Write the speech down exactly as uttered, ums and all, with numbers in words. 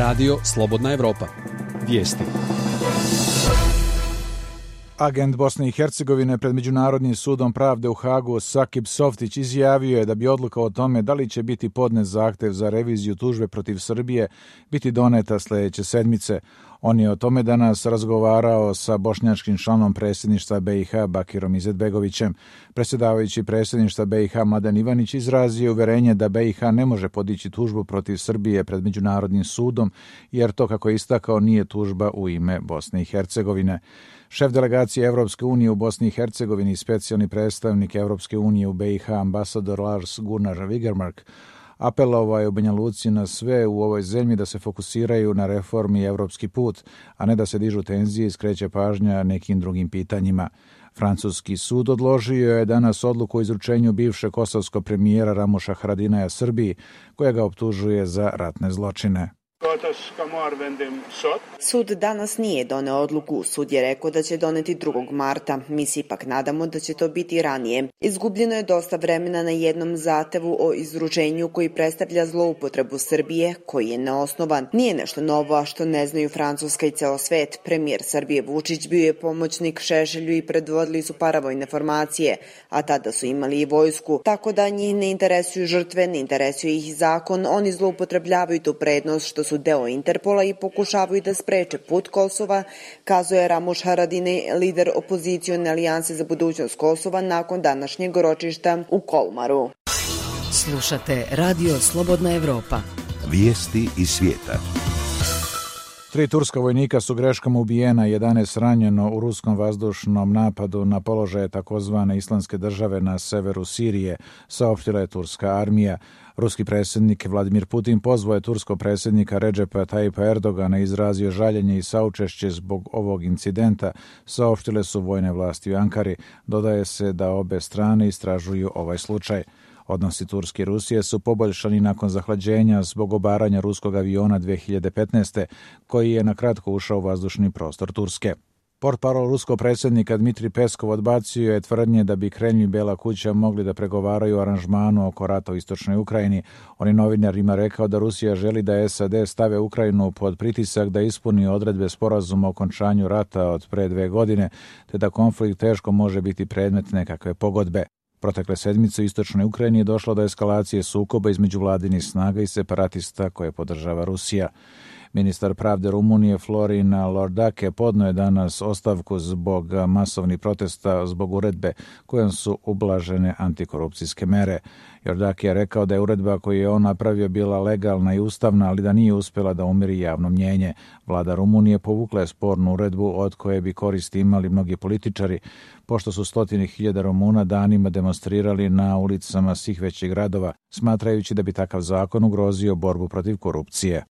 Radio Slobodna Evropa. Vijesti. Agent Bosne i Hercegovine pred Međunarodnim sudom pravde u Hagu Sakip Softić izjavio je da bi odluka o tome da li će biti podnet zahtev za reviziju tužbe protiv Srbije biti doneta sljedeće sedmice. On je o tome danas razgovarao sa bošnjačkim članom predsjedništva B i H Bakirom Izetbegovićem. Predsjedavajući predsjedništva B i H Mladen Ivanić izrazio uverenje da B i H ne može podići tužbu protiv Srbije pred Međunarodnim sudom, jer to, kako je istakao, nije tužba u ime Bosne i Hercegovine. Šef delegacije Evropske unije u Bosni i Hercegovini i specijalni predstavnik Evropske unije u B i H ambasador Lars Gunnar Vigermark apelovao je u Banja Luci na sve u ovoj zemlji da se fokusiraju na reformi i evropski put, a ne da se dižu tenzije i skreće pažnja nekim drugim pitanjima. Francuski sud odložio je danas odluku o izručenju bivšeg kosovskog premijera Ramuša Haradinaja Srbiji, koja ga optužuje za ratne zločine. Sud danas nije doneo odluku. Sud je rekao da će doneti drugog marta. Mi se ipak nadamo da će to biti ranije. Izgubljeno je dosta vremena na jednom zahtevu o izručenju koji predstavlja zloupotrebu Srbije, koji je neosnovan. Nije nešto novo, a što ne znaju Francuska i ceo svet. Premijer Srbije Vučić bio je pomoćnik Šešelju i predvodili su paravojne formacije, a tada su imali i vojsku. Tako da njih ne interesuju žrtve, ne interesuje ih zakon. Oni zloupotrebljavaju tu prednost što su deo Interpola i pokušavaju da spreče put Kosova, kazuje Ramuš Haradinaj, lider opozicione alijanse za budućnost Kosova nakon današnjeg ročišta u Kolmaru. Slušate Radio Slobodna Evropa. Vijesti iz svijeta. Tri turska vojnika su greškama ubijena, jedanaest ranjeno u ruskom vazdušnom napadu na položaje takozvane Islamske države na severu Sirije, saopštila je turska armija. Ruski predsjednik Vladimir Putin pozvao je turskog predsjednika Redžepa Tajipa Erdogana, izrazio žaljenje i saučešće zbog ovog incidenta, saopštile su vojne vlasti u Ankari. Dodaje se da obe strane istražuju ovaj slučaj. Odnosi Turske i Rusije su poboljšani nakon zahlađenja zbog obaranja ruskog aviona dve hiljade petnaeste. koji je na kratko ušao u vazdušni prostor Turske. Portparol ruskog predsjednika Dmitrij Peskov odbacio je tvrdnje da bi Kremlj i Bela kuća mogli da pregovaraju o aranžmanu oko rata u istočnoj Ukrajini. On je novinarima rekao da Rusija želi da S A D stave Ukrajinu pod pritisak da ispuni odredbe sporazuma o okončanju rata od pre dve godine, te da konflikt teško može biti predmet nekakve pogodbe. Protekle sedmice u istočnoj Ukrajini je došlo do eskalacije sukoba između vladinih snaga i separatista koje podržava Rusija. Ministar pravde Rumunije Florin Lordake podnio je danas ostavku zbog masovnih protesta zbog uredbe kojom su ublažene antikorupcijske mere. Lordake je rekao da je uredba koju je on napravio bila legalna i ustavna, ali da nije uspjela da umiri javno mnjenje. Vlada Rumunije povukla je spornu uredbu od koje bi koristi imali mnogi političari, pošto su stotine hiljada Rumuna danima demonstrirali na ulicama svih većih gradova, smatrajući da bi takav zakon ugrozio borbu protiv korupcije.